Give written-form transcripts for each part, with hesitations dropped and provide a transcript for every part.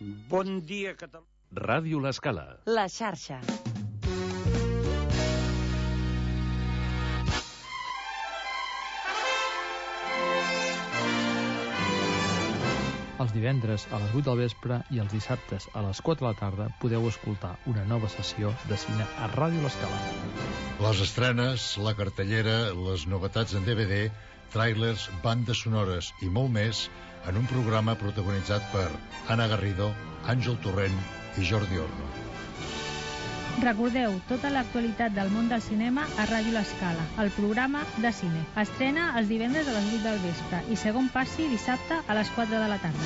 Bon dia, Catalunya. Ràdio L'Escala. La xarxa. Els divendres a les 8 del vespre i els dissabtes a les 4 de la tarda podeu escoltar una nova sessió de cine a Ràdio L'Escala. Les estrenes, la cartellera, les novetats en DVD, tràilers, bandes sonores i molt més en un programa protagonitzat per Anna Garrido, Àngel Torrent i Jordi Orno. Recordeu tota l'actualitat del món del cinema a Ràdio L'Escala, el programa de cine. Estrena els divendres a les 8 del vespre i segon passi dissabte a les 4 de la tarda.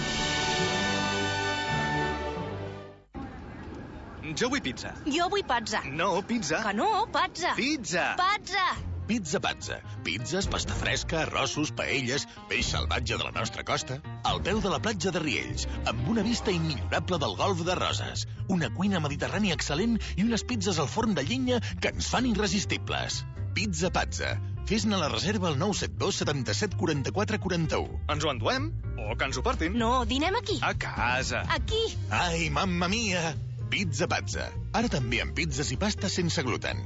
Jo vull pizza. Jo vull pazza. No, pizza. Que no, pazza. Pizza. Pazza. Pizza Pazza. Pizzas, pasta fresca, arrossos, paelles, peix salvatge de la nostra costa, al peu de la platja de Riells, amb una vista immillorable del golf de Roses, una cuina mediterrània excel·lent i unes pizzas al forn de llenya que ens fan irresistibles. Pizza Pazza. Fes-ne la reserva al 972 77 44 41. Ens ho enduem? O que ens ho portin? No, dinem aquí. A casa. Aquí. Ai, mamma mia! Pizza Pazza. Ara també amb pizzas i pastes sense gluten.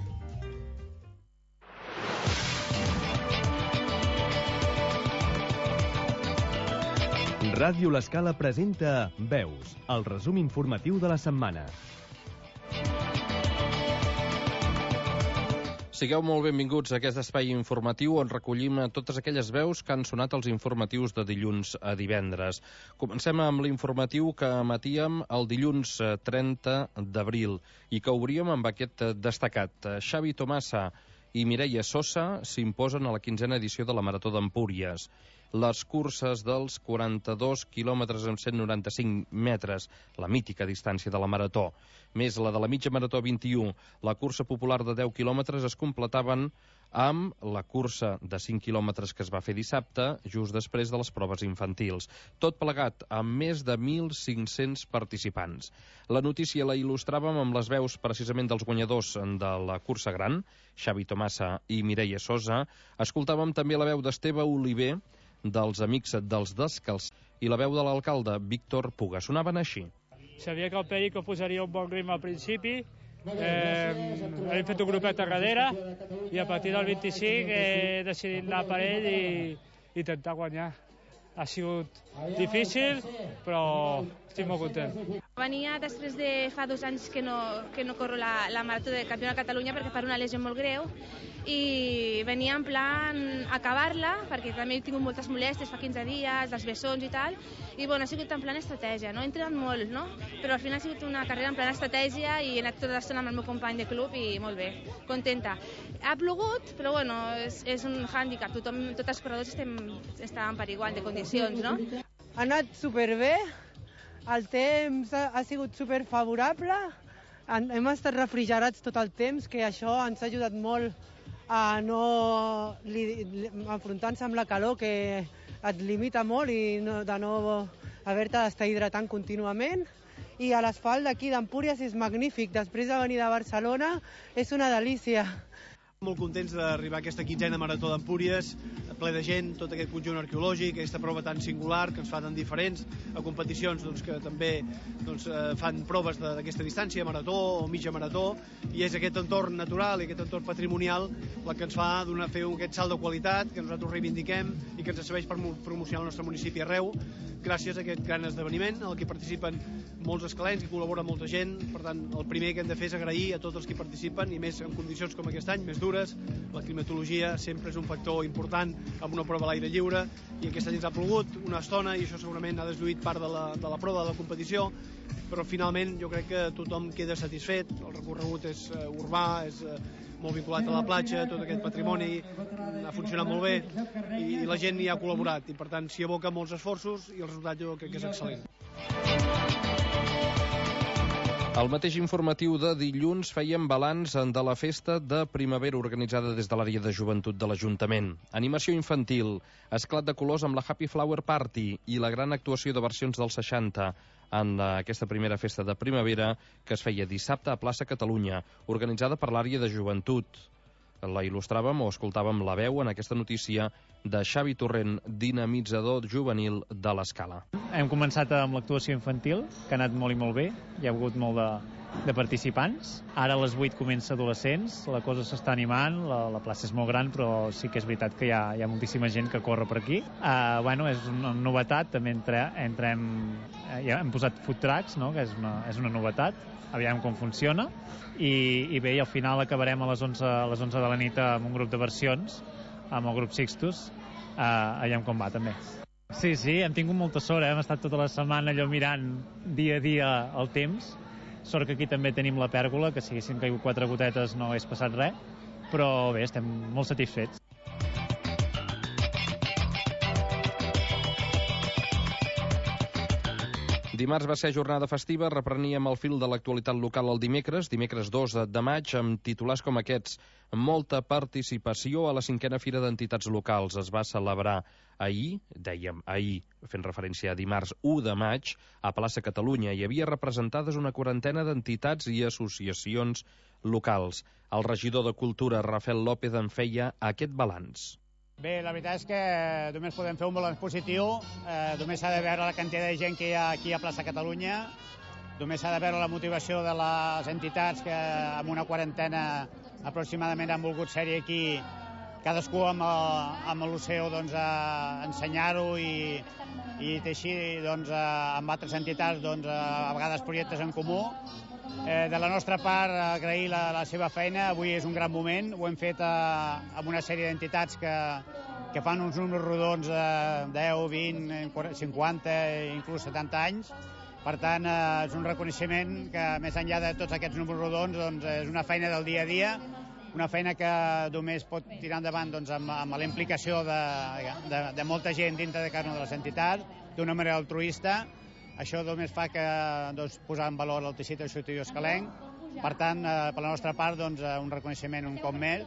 Ràdio L'Escala presenta Veus, el resum informatiu de la setmana. Sigueu molt benvinguts a aquest espai informatiu on recollim totes aquelles veus que han sonat als informatius de dilluns a divendres. Comencem amb l'informatiu que emetíem el dilluns 30 d'abril i que obríem amb aquest destacat. Xavi Tomasa i Mireia Sosa s'imposen a la 15a edició de la Marató d'Empúries. Les curses dels 42 quilòmetres amb 195 metres, la mítica distància de la Marató, més la de la mitja Marató 21, la cursa popular de 10 quilòmetres es completaven amb la cursa de 5 quilòmetres que es va fer dissabte, just després de les proves infantils. Tot plegat amb més de 1.500 participants. La notícia la il·lustràvem amb les veus precisament dels guanyadors de la cursa gran, Xavi Tomasa i Mireia Sosa. Escoltàvem també la veu d'Esteve Oliver, dels Amics dels Descalçats, i la veu de l'alcalde Víctor Puga. Sonaven així. Sabia que el Perico posaria un bon ritme al principi, hem fet un grupet a darrere i a partir del 25 he decidit anar per ell i intentar guanyar. Ha sigut difícil, però estic molt content. Venia després de fa 2 anys que no corro la Marató de Campió de Catalunya perquè per una lesió molt greu i venia en plan acabar-la perquè també he tingut moltes molèsties fa 15 dies, dels bessons i tal, i bueno, ha sigut en plan estratègia, no? He entrenat molt, no? Però al final ha sigut una carrera en plan estratègia i he anat tota l'estona amb el meu company de club i molt bé, contenta. Ha plogut, però bueno, és un hàndicap, tots els corredors estàvem per igual de condicions, no? Ha anat superbé, el temps ha sigut superfavorable, hem estat refrigerats tot el temps, que això ens ha ajudat molt a no enfrontar-se amb la calor, que et limita molt i de no haver-te d'estar hidratant contínuament. I a l'asfalt d'aquí d'Empúries és magnífic, després de venir de Barcelona és una delícia. Molt contents d'arribar a aquesta 15a Marató d'Empúries, ple de gent, tot aquest conjunt arqueològic, aquesta prova tan singular que ens fa tan diferents a competicions que també fan proves d'aquesta distància, marató o mitja marató, i és aquest entorn natural i aquest entorn patrimonial el que ens fa fer aquest salt de qualitat que nosaltres reivindiquem i que ens serveix per promocionar el nostre municipi arreu, gràcies a aquest gran esdeveniment en el que participen molts escalencs, que col·labora molta gent. Per tant, el primer que hem de fer és agrair a tots els que participen, i més en condicions com aquest any, més dures. La climatologia sempre és un factor important amb una prova a l'aire lliure, i aquest any ens ha plogut una estona i això segurament ha deslluït part de la prova de la competició, però finalment jo crec que tothom queda satisfet. El recorregut és urbà, és molt vinculat a la platja, tot aquest patrimoni ha funcionat molt bé i la gent hi ha col·laborat, i per tant s'hi aboca molts esforços i el resultat jo crec que és excel·lent. Al mateix informatiu de dilluns fèiem balanç de la festa de primavera organitzada des de l'àrea de joventut de l'Ajuntament. Animació infantil, esclat de colors amb la Happy Flower Party i la gran actuació de versions dels 60 en aquesta primera festa de primavera que es feia dissabte a Plaça Catalunya, organitzada per l'àrea de joventut. La il·lustràvem o escoltàvem la veu en aquesta notícia de Xavi Torrent, dinamitzador juvenil de l'Escala. Hem començat amb l'actuació infantil, que ha anat molt i molt bé. Hi ha hagut molt de participants. Ara a les 8 comença adolescents, la cosa s'està animant, la plaça és molt gran, però sí que és veritat que hi ha moltíssima gent que corre per aquí. És una novetat, també hem posat food trucks, no? Que és una novetat, aviam com funciona, i bé, i al final acabarem a les 11 de la nit amb un grup de versions, amb el grup Sixtus, aviam com va també. Sí, hem tingut molta sort, hem estat tota la setmana allò mirant dia a dia el temps. Sort que aquí també tenim la pèrgola, que si haguessin caigut 4 gotetes no hagués passat res, però bé, estem molt satisfets. Dimarts va ser jornada festiva, repreníem el fil de l'actualitat local el dimecres 2 de maig, amb titulars com aquests. Molta participació a la 5a Fira d'Entitats Locals. Es va celebrar ahir, fent referència a dimarts 1 de maig, a Plaça Catalunya. Hi havia representades una 40ena d'entitats i associacions locals. El regidor de Cultura, Rafael López, en feia aquest balanç. Bé, la veritat és que només podem fer un balanç positiu, només s'ha de veure la quantitat de gent que hi ha aquí a Plaça Catalunya, només s'ha de veure la motivació de les entitats que amb una quarantena aproximadament han volgut ser-hi aquí, cadascú amb l'Oceo a ensenyar-ho i teixir amb altres entitats a vegades projectes en comú. De la nostra part, agrair la seva feina. Avui és un gran moment. Ho hem fet amb una sèrie d'entitats que fan uns números rodons de 10, 20, 50, inclús 70 anys. Per tant, és un reconeixement que, més enllà de tots aquests números rodons, és una feina del dia a dia, una feina que només pot tirar endavant amb la implicació de molta gent dintre de cada una de les entitats, d'una manera altruista. Això només fa que posar en valor el teixit associatiu escalenc. Per tant, per la nostra part, un reconeixement un cop més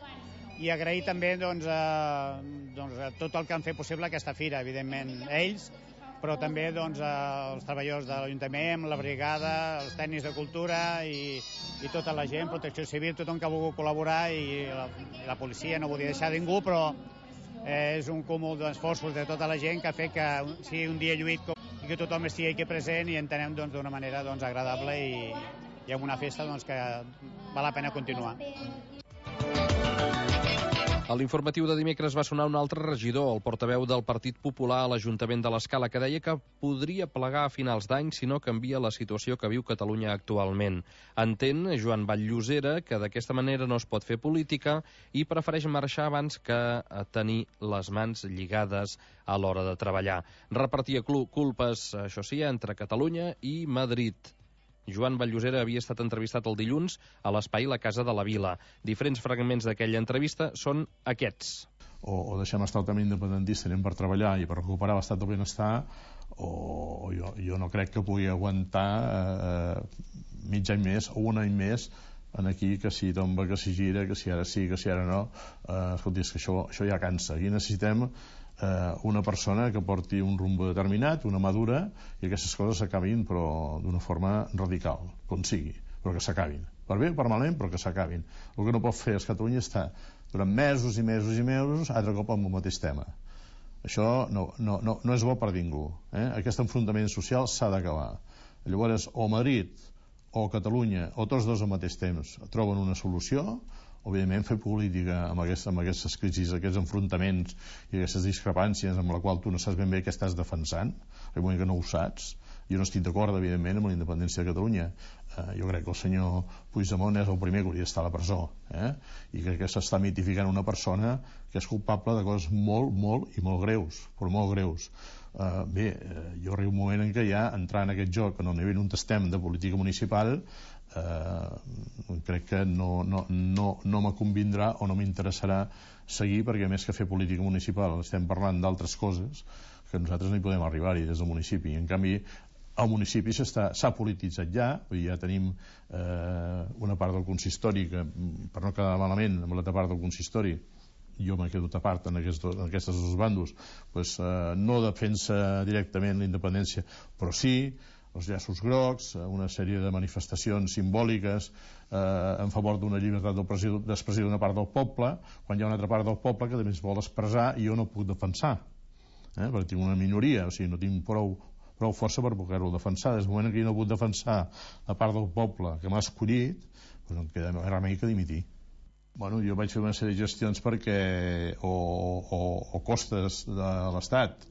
i agrair també tot el que han fet possible aquesta fira, evidentment ells, però també els treballadors de l'Ajuntament, la brigada, els tècnics de cultura i tota la gent, protecció civil, tothom que ha volgut col·laborar i la policia, no volia deixar ningú, però és un cúmul d'esforços de tota la gent que ha fet que sigui un dia lluït i que tothom estigui aquí present i entenem d'una manera agradable i amb una festa que val la pena continuar. A l'informatiu de dimecres va sonar un altre regidor, el portaveu del Partit Popular a l'Ajuntament de l'Escala, que deia que podria plegar a finals d'any si no canvia la situació que viu Catalunya actualment. Entén Joan Vall-Llosera que d'aquesta manera no es pot fer política i prefereix marxar abans que tenir les mans lligades a l'hora de treballar. Repartia culpes, això sí, entre Catalunya i Madrid. Joan Vall-Llosera havia estat entrevistat el dilluns a l'espai La Casa de la Vila. Diferents fragments d'aquella entrevista són aquests. O deixem estar el camí independentista, anem per treballar i per recuperar l'estat del benestar, o jo no crec que pugui aguantar mig any més o un any més en aquí, que si tomba, que si gira, que si ara sí, que si ara no. Escolti, és que això ja cansa. Aquí necessitem una persona que porti un rumbo determinat, una madura, i aquestes coses s'acabin, però d'una forma radical, com sigui, però que s'acabin. Per bé o per malament, però que s'acabin. El que no pot fer és Catalunya estar durant mesos i mesos i mesos altre cop amb el mateix tema. Això no és bo per ningú. Aquest enfrontament social s'ha d'acabar. Llavors, o Madrid o Catalunya, o tots dos al mateix temps, troben una solució. Òbviament, fer política amb aquestes crisis, aquests enfrontaments i aquestes discrepàncies amb la qual tu no saps ben bé què estàs defensant, el moment que no ho saps. Jo no estic d'acord, evidentment, amb la independència de Catalunya. Jo crec que el senyor Puigdemont és el primer que hauria d'estar a la presó, i crec que s'està mitificant una persona que és culpable de coses molt, molt i molt greus, però molt greus. Bé, jo arribo un moment en què ja entrar en aquest joc en el nivell on estem de política municipal, crec que no me convindrà o no m'interessarà seguir, perquè més que fer política municipal estem parlant d'altres coses que nosaltres no hi podem arribar-hi des del municipi. En canvi, el municipi s'ha polititzat ja, ja tenim una part del consistori que, per no quedar malament amb l'altra part del consistori, jo m'he quedat a part en aquests dos bandos, no defensa directament la independència, però sí els llaços grocs, una sèrie de manifestacions simbòliques en favor d'una llibertat d'expressió d'una part del poble, quan hi ha una altra part del poble que també es vol expressar i jo no puc defensar, perquè tinc una minoria, o sigui, no tinc prou força per poder-ho defensar. Des del moment que jo no puc defensar la part del poble que m'ha escollit, doncs em queda remei que dimitir. Bueno, jo vaig fer una sèrie de gestions perquè o costes de l'Estat,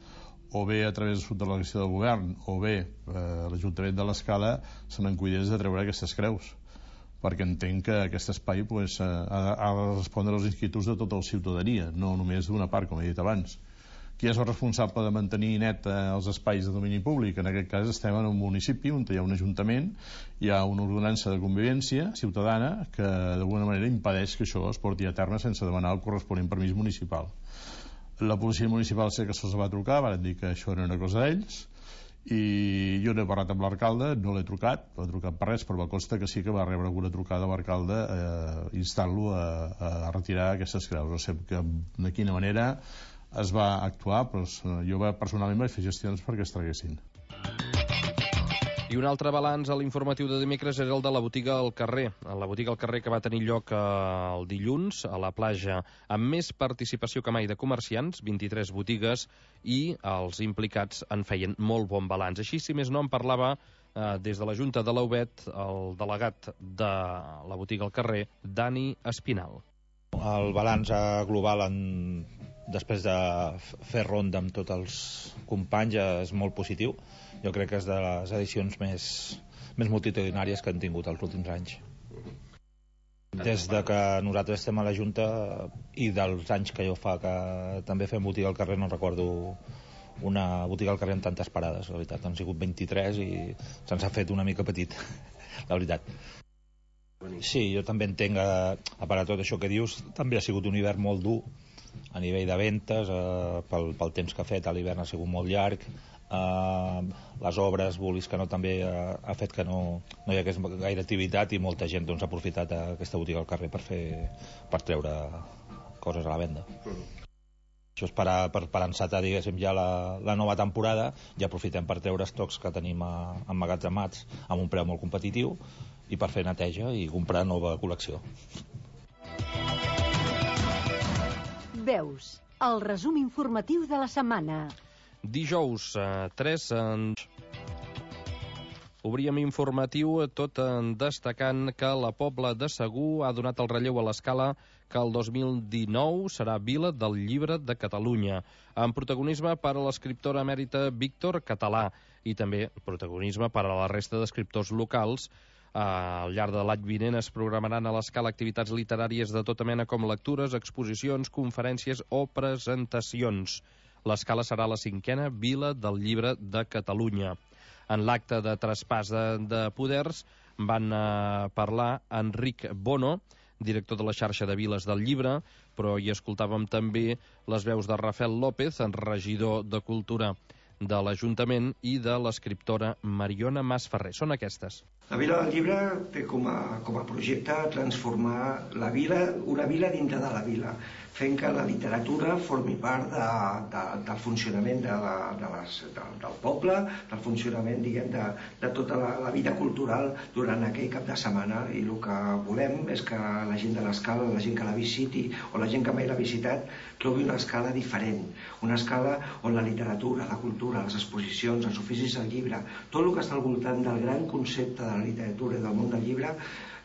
o bé a través de la delegació del govern, o bé l'Ajuntament de l'Escala se n'encuidés de treure aquestes creus, perquè entenc que aquest espai ha de respondre als inquietuds de tota la ciutadania, no només d'una part, com he dit abans. Qui és el responsable de mantenir net els espais de domini públic? En aquest cas estem en un municipi on hi ha un ajuntament, hi ha una ordenança de convivència ciutadana que d'alguna manera impedeix que això es porti a terme sense demanar el corresponent permís municipal. La policia municipal sé que se'ls va trucar, van dir que això era una cosa d'ells, i jo n'he parlat amb l'alcalde, no l'he trucat per res, però em consta que sí que va rebre alguna trucada a l'alcalde instant-lo a retirar aquestes creus. No sé de quina manera es va actuar, però jo personalment vaig fer gestions perquè es traguessin. I un altre balanç a l'informatiu de dimecres era el de la botiga al carrer. La botiga al carrer que va tenir lloc el dilluns a la platja, amb més participació que mai de comerciants, 23 botigues, i els implicats en feien molt bon balanç. Així, si més no, en parlava des de la Junta de l'Aubet el delegat de la botiga al carrer, Dani Espinal. El balanç global després de fer ronda amb tots els companys és molt positiu. Jo crec que és de les edicions més multitudinàries que han tingut els últims anys. Des de que nosaltres estem a la Junta i dels anys que jo fa que també fem botiga al carrer, no recordo una botiga al carrer amb tantes parades, la veritat. Han sigut 23 i se'ns ha fet una mica petit, la veritat. Sí, jo també entenc, a part de tot això que dius, també ha sigut un hivern molt dur a nivell de ventes, pel temps que ha fet, l'hivern ha sigut molt llarg, les obres, vulguis que no, també ha fet que no hi hagués gaire activitat i molta gent ha aprofitat aquesta botiga al carrer per treure coses a la venda. Això és per encetar, diguéssim, ja la nova temporada, i aprofitem per treure estocs que tenim emmagatzemats amb un preu molt competitiu i per fer neteja i comprar nova col·lecció. Veus, el resum informatiu de la setmana. Dijous 3 obríem informatiu tot destacant que la Pobla de Segur ha donat el relleu a l'Escala que el 2019 serà Vila del Llibre de Catalunya, amb protagonisme per a l'escriptora emèrita Víctor Català i també protagonisme per a la resta d'escriptors locals. Al llarg de l'any vinent es programaran a l'Escala activitats literàries de tota mena com lectures, exposicions, conferències o presentacions. L'Escala serà la 5a Vila del Llibre de Catalunya. En l'acte de traspàs de poders van parlar Enric Bono, director de la xarxa de Viles del Llibre, però hi escoltàvem també les veus de Rafael López, regidor de Cultura de l'Ajuntament, i de l'escriptora Mariona Masferrer. Són aquestes. La Vila del Llibre té com a projecte transformar la vila, una vila dintre de la vila, fent que la literatura formi part del funcionament del poble, del funcionament, diguem, de tota la vida cultural durant aquell cap de setmana. I el que volem és que la gent de l'Escala, la gent que la visiti o la gent que mai l'ha visitat, trobi una escala diferent, una escala on la literatura, la cultura, les exposicions, els oficis del llibre, tot el que està al voltant del gran concepte de la literatura i del món del llibre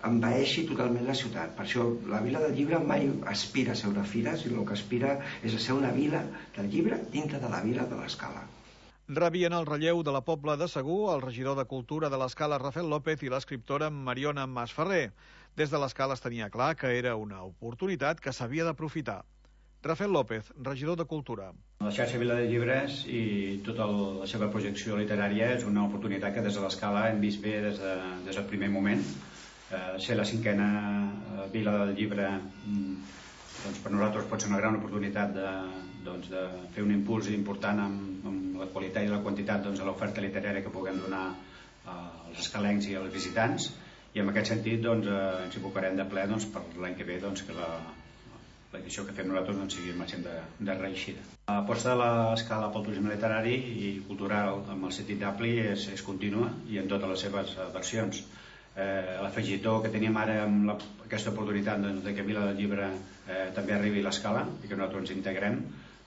envaeixi totalment la ciutat. Per això la Vila del Llibre mai aspira a ser una fira, sinó el que aspira és a ser una vila del llibre dintre de la vila de l'Escala. Rebien el relleu de la Pobla de Segur el regidor de Cultura de l'Escala, Rafael López, i l'escriptora Mariona Masferrer. Des de l'Escala es tenia clar que era una oportunitat que s'havia d'aprofitar. Rafael López, regidor de Cultura. La xarxa Vila de Llibres i tota la seva projecció literària és una oportunitat que des de l'Escala hem vist bé des del primer moment. Ser la 5a Vila del Llibre, doncs per nosaltres pot ser una gran oportunitat de fer un impuls important amb la qualitat i la quantitat de l'oferta literària que puguem donar als escalencs i als visitants, i en aquest sentit ens abocarem de ple per l'any que ve que perquè això que fem nosaltres sigui el màxim de reeixida. L'aposta de l'Escala pel turisme literari i cultural amb el sentit ampli és contínua i en totes les seves versions. L'afegitó que tenim ara amb aquesta oportunitat que Vila del Llibre també arribi a l'Escala i que nosaltres ens integrem,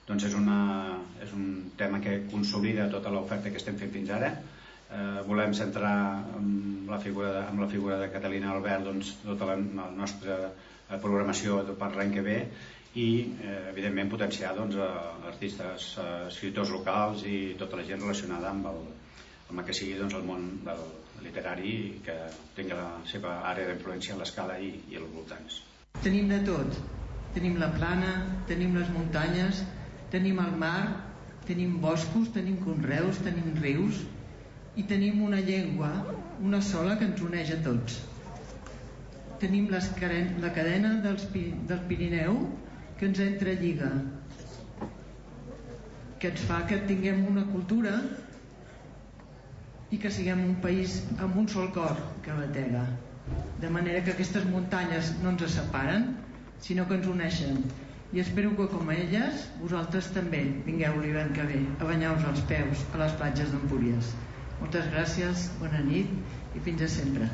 doncs és un tema que consolida tota l'oferta que estem fent fins ara. Volem centrar amb la figura de Catalina Albert tota la nostra programació per l'any que ve i evidentment potenciar artistes, escriptors locals i tota la gent relacionada amb el que sigui el món del literari i que tingui la seva àrea d'influència a l'Escala i als voltants. Tenim de tot. Tenim la plana, tenim les muntanyes, tenim el mar, tenim boscos, tenim conreus, tenim rius i tenim una llengua, una sola, que ens uneix a tots. Tenim la cadena del Pirineu que ens entrelliga, que ens fa que tinguem una cultura i que siguem un país amb un sol cor que batega, de manera que aquestes muntanyes no ens separen sinó que ens uneixen, i espero que com a elles vosaltres també vingueu l'hivern que ve a banyar-vos els peus a les platges d'Empúries. Moltes gràcies, bona nit i fins a sempre.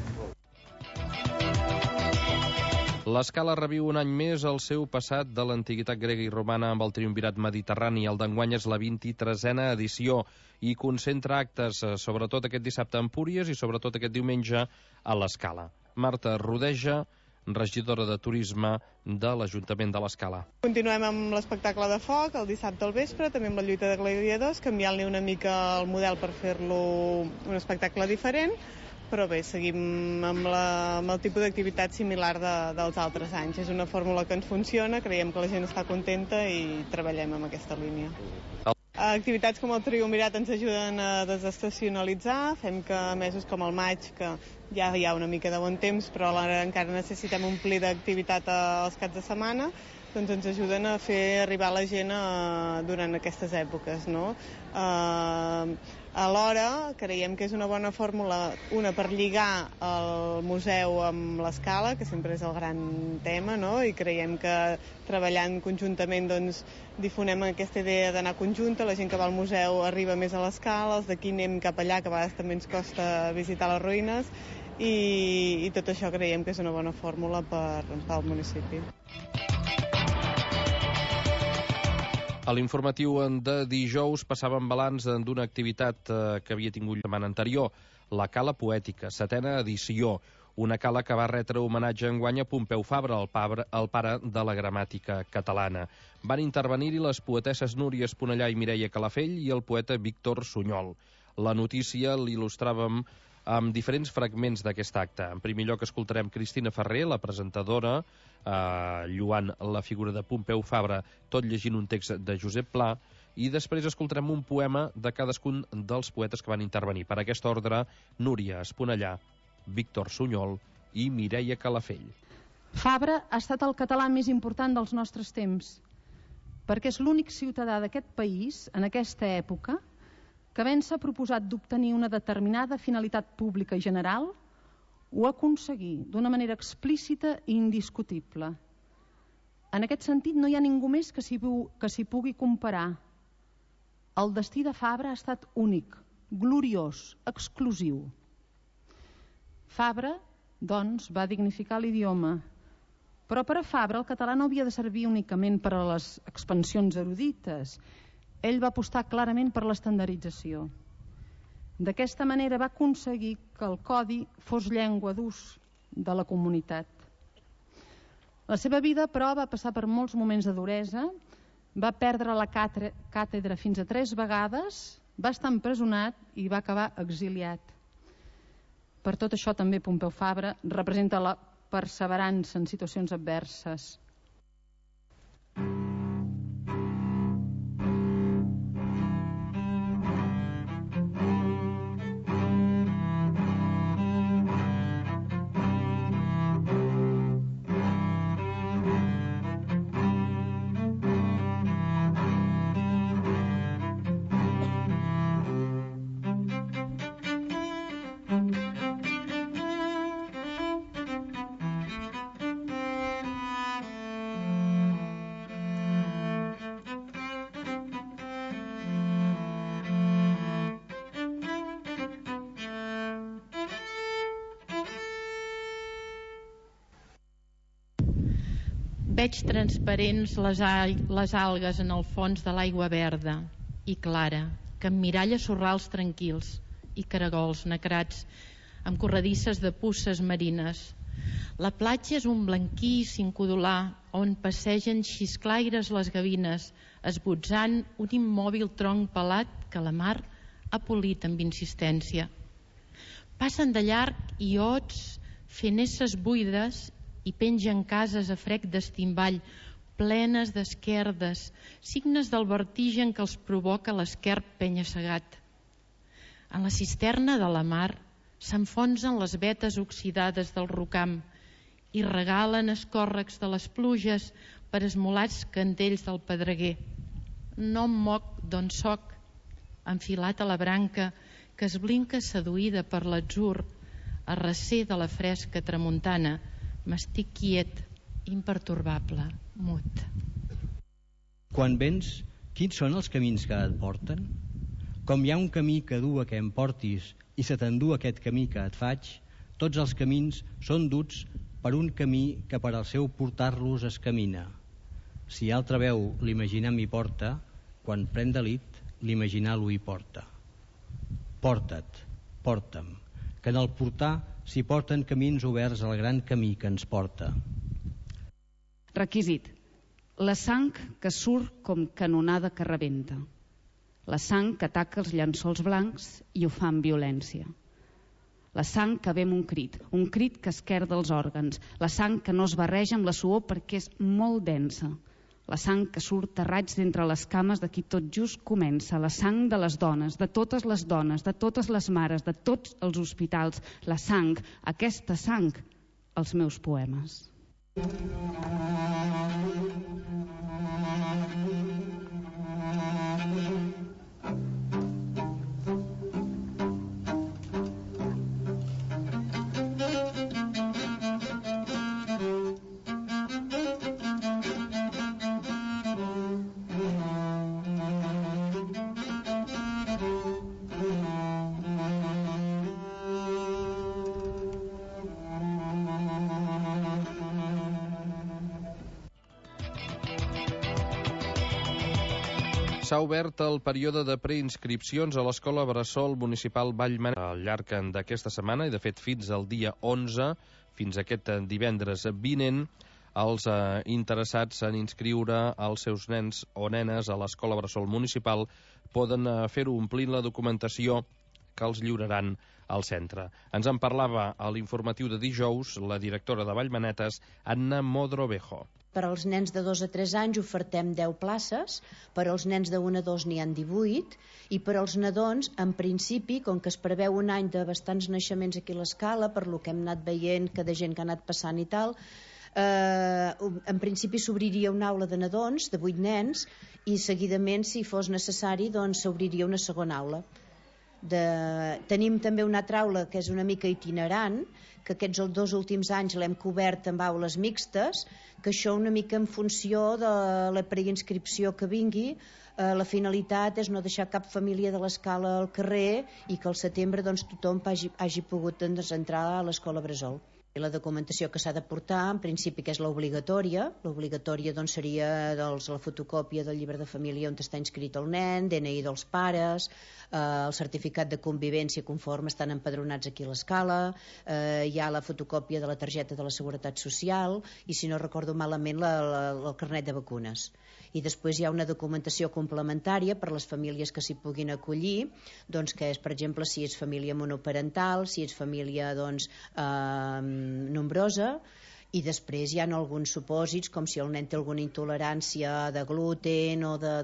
L'Escala reviu un any més el seu passat de l'antiguitat grega i romana amb el triumvirat mediterrani. El d'enguany és la 23a edició i concentra actes, sobretot aquest dissabte a Empúries i sobretot aquest diumenge a l'Escala. Marta Rodeja, regidora de Turisme de l'Ajuntament de l'Escala. Continuem amb l'espectacle de foc el dissabte al vespre, també amb la lluita de gladiadors, canviant-li una mica el model per fer-lo un espectacle diferent, però bé, seguim amb el tipus d'activitat similar dels altres anys. És una fórmula que ens funciona, creiem que la gent està contenta i treballem amb aquesta línia. Activitats com el triumvirat ens ajuden a desestacionalitzar, fem que mesos com el maig, que ja hi ha una mica de bon temps, però alhora encara necessitem omplir d'activitat als caps de setmana, doncs ens ajuden a fer arribar la gent durant aquestes èpoques, no? Alhora, creiem que és una bona fórmula, una per lligar el museu amb l'Escala, que sempre és el gran tema, no? I creiem que treballant conjuntament difonem aquesta idea d'anar conjunta, la gent que va al museu arriba més a l'Escala, els d'aquí anem cap allà, que a vegades també ens costa visitar les ruïnes, i tot això creiem que és una bona fórmula pel municipi. A l'informatiu de dijous passàvem balanç d'una activitat que havia tingut la setmana anterior, la Cala Poètica, 7a edició, una cala que va retre homenatge enguany a Pompeu Fabra, el pare de la gramàtica catalana. Van intervenir-hi les poetesses Núria Esponellà i Mireia Calafell i el poeta Víctor Sunyol. La notícia l'il·lustràvem amb diferents fragments d'aquest acte. En primer lloc escoltarem Cristina Ferrer, la presentadora, lloant la figura de Pompeu Fabra, tot llegint un text de Josep Pla, i després escoltarem un poema de cadascun dels poetes que van intervenir. Per aquest ordre, Núria Esponellà, Víctor Sunyol i Mireia Calafell. Fabra ha estat el català més important dels nostres temps, perquè és l'únic ciutadà d'aquest país, en aquesta època, que havent-se proposat d'obtenir una determinada finalitat pública i general, ho aconseguí d'una manera explícita i indiscutible. En aquest sentit, no hi ha ningú més que s'hi pugui comparar. El destí de Fabra ha estat únic, gloriós, exclusiu. Fabra, doncs, va dignificar l'idioma, però per a Fabra el català no havia de servir únicament per a les expansions erudites. Ell va apostar clarament per l'estandardització. D'aquesta manera va aconseguir que el codi fos llengua d'ús de la comunitat. La seva vida, però, va passar per molts moments de duresa, va perdre la càtedra fins a 3 vegades, va estar empresonat i va acabar exiliat. Per tot això també Pompeu Fabra representa la perseverança en situacions adverses. Veig transparents les algues en el fons de l'aigua verda i clara, que emmiralla sorrals tranquils i caragols nacrats amb corredisses de puces marines. La platja és un blanquíssim codolar on passegen xisclaires les gavines, esbotzant un immòbil tronc pelat que la mar ha polit amb insistència. Passen de llarg iots fent esses buides i pengen cases a frec d'estimball, plenes d'esquerdes, signes del vertigen que els provoca l'esquerp penya-segat. En la cisterna de la mar s'enfonsen les vetes oxidades del rocam i regalen escòrrecs de les pluges per esmolats candells del pedreguer. No em moc d'on soc, enfilat a la branca que es blinca seduïda per l'atzur, a recer de la fresca tramuntana. M'estic quiet, impertorbable, mut. Quan vens, quins són els camins que et porten? Com hi ha un camí que du a que em portis i se t'endú aquest camí que et faig, tots els camins són duts per un camí que per al seu portar-los es camina. Si altra veu l'imaginar m'hi porta, quan pren delit, l'imaginar-lo hi porta. Porta't, porta'm, que en el portar s'hi porten camins oberts al gran camí que ens porta. Requisit: la sang que surt com canonada que rebenta, la sang que ataca els llençols blancs i ho fa amb violència, la sang que ve amb un crit que esquerda els òrgans, la sang que no es barreja amb la suor perquè és molt densa, la sang que surt a raigs d'entre les cames de qui tot just comença, la sang de les dones, de totes les dones, de totes les mares, de tots els hospitals, la sang, aquesta sang, els meus poemes. S'ha obert el període de preinscripcions a l'Escola Bressol Municipal Vallmanet al llarg d'aquesta setmana i, de fet, fins al dia 11, fins aquest divendres vinent, els interessats en inscriure els seus nens o nenes a l'Escola Bressol Municipal poden fer-ho omplint la documentació que els lliuraran al centre. Ens en parlava a l'informatiu de dijous la directora de Vallmanetes, Anna Modrovejo. Per als nens de 2 a 3 anys ofertem 10 places, per als nens de 1 a 2 n'hi ha 18, i per als nadons, en principi, com que es preveu un any de bastants naixements aquí a l'escala, per lo que hem anat veient que de gent que ha anat passant i tal, en principi s'obriria una aula de nadons, de 8 nens, i seguidament, si fos necessari, doncs s'obriria una segona aula. Tenim també una altra aula que és una mica itinerant, que aquests 2 últims anys l'hem cobert amb aules mixtes, que això una mica en funció de la preinscripció que vingui. La finalitat és no deixar cap família de l'escala al carrer i que al setembre doncs, tothom hagi pogut entrar a l'escola Bressol. La documentació que s'ha de portar, en principi, que és l'obligatòria. L'obligatòria doncs, seria la fotocòpia del llibre de família on està inscrit el nen, DNI dels pares, el certificat de convivència conforme estan empadronats aquí a l'escala, hi ha la fotocòpia de la targeta de la Seguretat Social i, si no recordo malament, el carnet de vacunes. I després hi ha una documentació complementària per a les famílies que s'hi puguin acollir, doncs, que és, per exemple, si és família monoparental, si és família doncs, nombrosa, i després hi ha alguns supòsits com si el nen té alguna intolerància de gluten o de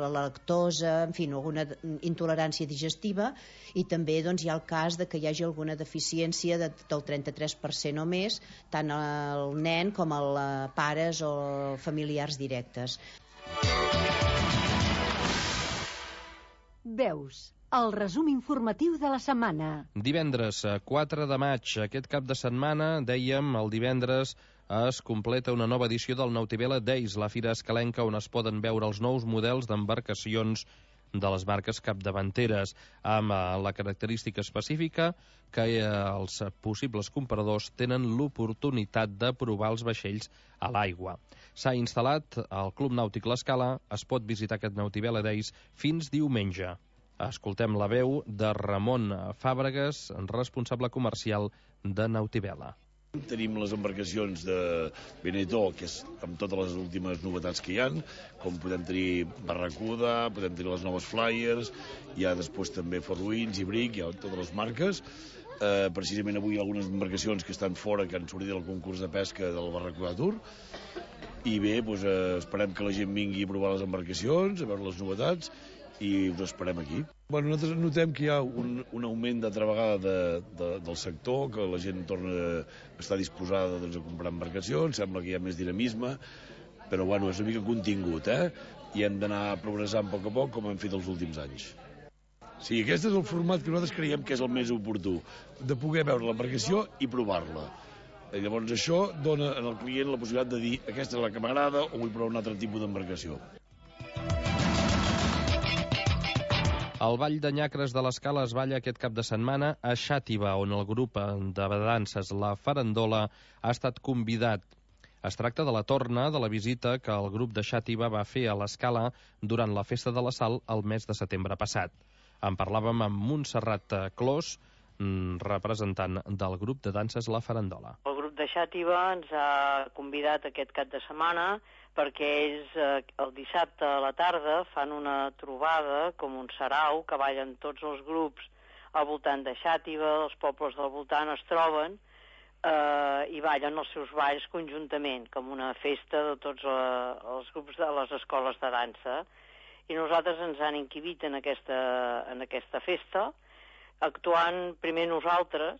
la lactosa, en fi, alguna intolerància digestiva, i també doncs, hi ha el cas de que hi hagi alguna deficiència del 33% o més, tant al nen com als pares o familiars directes. Veus, el resum informatiu de la setmana. Divendres 4 de maig, aquest cap de setmana, dèiem, el divendres es completa una nova edició del Nautivela Days, la fira escalenca on es poden veure els nous models d'embarcacions de les marques capdavanteres, amb la característica específica que els possibles compradors tenen l'oportunitat de provar els vaixells a l'aigua. S'ha instal·lat al Club Nàutic L'Escala, es pot visitar aquest Nautivella Days fins diumenge. Escoltem la veu de Ramon Fàbregas, responsable comercial de Nautivella. Tenim les embarcacions de Benetó, que és amb totes les últimes novetats que hi ha, com podem tenir Barracuda, podem tenir les noves Flyers, hi ha després també Fort Winds i Brick, hi ha totes les marques. Precisament avui hi ha algunes embarcacions que estan fora, que han sortit del concurs de pesca del Barracuda Tour, i bé, doncs, esperem que la gent vingui a provar les embarcacions, a veure les novetats, i us esperem aquí. Bueno, nosaltres notem que hi ha un augment d'altra vegada del sector, que la gent torna a estar disposada a comprar embarcacions, sembla que hi ha més dinamisme, però bueno, és una mica contingut, i hem d'anar progressant a poc, com hem fet els últims anys. Sí, aquest és el format que nosaltres creiem que és el més oportú, de poder veure l'embarcació i provar-la. I llavors això dona al client la possibilitat de dir aquesta és la que m'agrada o vull provar un altre tipus d'embarcació. El Ball de Nyacres de l'Escala es balla aquest cap de setmana a Xàtiva, on el grup de danses La Farandola ha estat convidat. Es tracta de la torna de la visita que el grup de Xàtiva va fer a l'Escala durant la Festa de la Sal el mes de setembre passat. En parlàvem amb Montserrat Clos, representant del grup de danses La Farandola. El grup de Xàtiva ens ha convidat aquest cap de setmana perquè ells el dissabte a la tarda fan una trobada com un sarau que ballen tots els grups al voltant de Xàtiva, els pobles del voltant es troben i ballen els seus balls conjuntament, com una festa de tots els grups de les escoles de dansa. I nosaltres ens han inquivit en aquesta festa, actuant primer nosaltres,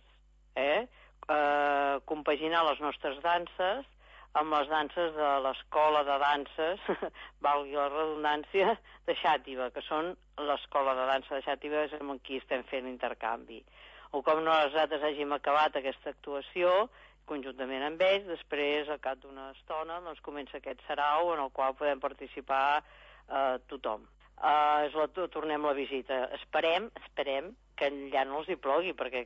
compaginar les nostres danses amb les danses de l'escola de danses, valgui la redundància, de Xàtiva, que són l'escola de dansa de Xàtiva, és amb qui estem fent intercanvi. O com nosaltres hàgim acabat aquesta actuació, conjuntament amb ells, després, al cap d'una estona, doncs comença aquest sarau en el qual podem participar tothom. Tornem la visita. Esperem que allà no els hi plogui, perquè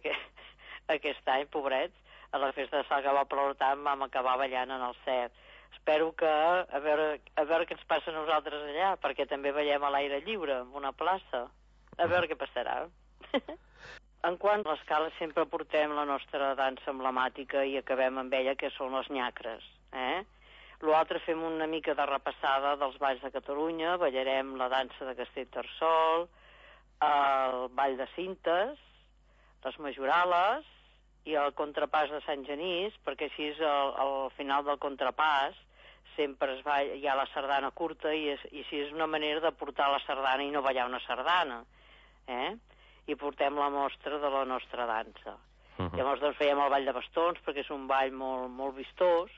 aquest any, pobrets, a la festa de Sal que va ploure tant, vam acabar ballant en el Cert. Espero que, a veure què ens passa a nosaltres allà, perquè també ballem a l'aire lliure, en una plaça. A veure què passarà. En quant a l'Escala, sempre portem la nostra dansa emblemàtica i acabem amb ella, que són les nyacres. L'altre fem una mica de repassada dels balls de Catalunya, ballarem la dansa de Castellterçol, el ball de Cintes, les majorales i el contrapàs de Sant Genís, perquè així al final del contrapàs sempre hi ha la sardana curta i així és una manera de portar la sardana i no ballar una sardana. I portem la mostra de la nostra dansa. Llavors doncs fèiem el ball de bastons perquè és un ball molt, molt vistós,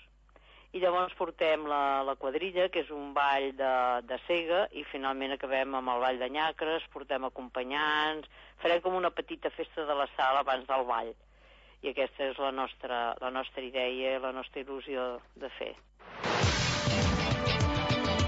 i llavors portem la quadrilla, que és un ball de cega, i finalment acabem amb el ball de nyacres, portem acompanyants, farem com una petita festa de la sala abans del ball. I aquesta és la nostra idea i la nostra il·lusió de fer.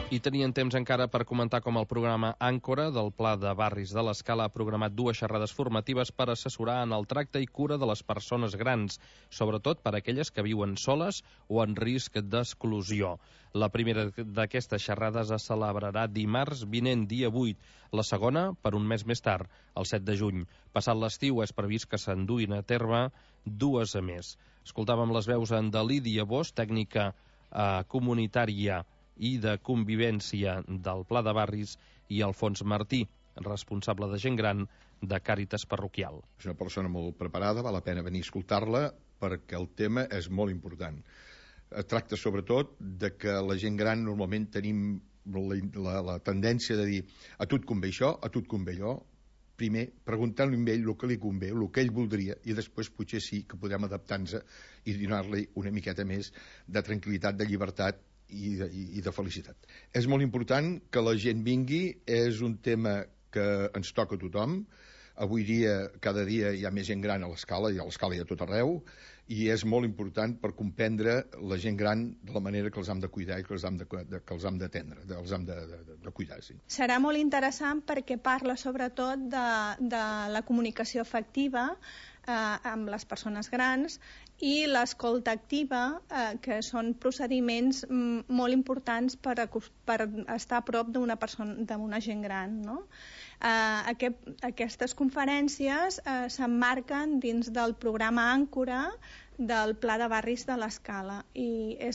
I tenien temps encara per comentar com el programa Àncora del Pla de Barris de l'Escala ha programat 2 xerrades formatives per assessorar en el tracte i cura de les persones grans, sobretot per a aquelles que viuen soles o en risc d'exclusió. La primera d'aquestes xerrades es celebrarà dimarts vinent, dia 8. La segona, per un mes més tard, el 7 de juny. Passat l'estiu és previst que s'enduïn a terme 2 més. Escoltàvem les veus de Lídia Bosch, tècnica comunitària i de convivència del Pla de Barris, i Alfons Martí, responsable de gent gran de Càritas Parroquial. És una persona molt preparada, val la pena venir a escoltar-la perquè el tema és molt important. Es tracta sobretot de que la gent gran normalment tenim la tendència de dir a tu et convé això, a tu et convé allò. Primer, preguntant-li a ell el que li convé, el que ell voldria, i després potser sí que podem adaptar-nos i donar-li una miqueta més de tranquil·litat, de llibertat i de felicitat. És molt important que la gent vingui, és un tema que ens toca a tothom, Avui dia, cada dia hi ha més gent gran a l'escala, i a l'escala hi ha tot arreu, i és molt important per comprendre la gent gran de la manera que els hem de cuidar i que els hem d'atendre, els hem de cuidar. Sí. Serà molt interessant perquè parla sobretot de la comunicació efectiva amb les persones grans i l'escolta activa, que són procediments molt importants per estar a prop d'una gent gran, no? Aquestes conferències s'emmarquen dins del programa Àncora del Pla de Barris de l'Escala, i és